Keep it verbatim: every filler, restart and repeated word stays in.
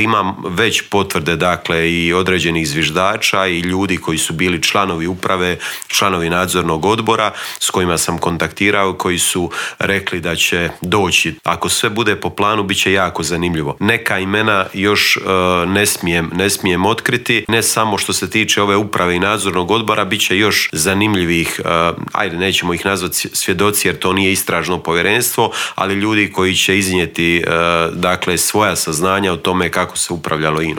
Imam već potvrde, dakle, i određenih zviždača i ljudi koji su bili članovi uprave, članovi nadzornog odbora s kojima sam kontaktirao, koji su rekli da će doći. Ako sve bude po planu, bit će jako zanimljivo. Neka imena još e, ne smijem, ne smijem otkriti, ne samo što se tiče ove uprave i nadzornog odbora, bit će još zanimljivih, e, ajde, nećemo ih nazvati svjedoci jer to nije istražno povjerenstvo, ali ljudi koji će iznijeti e, dakle, svoja saznanja o tome kako se upravljalo I N A-om.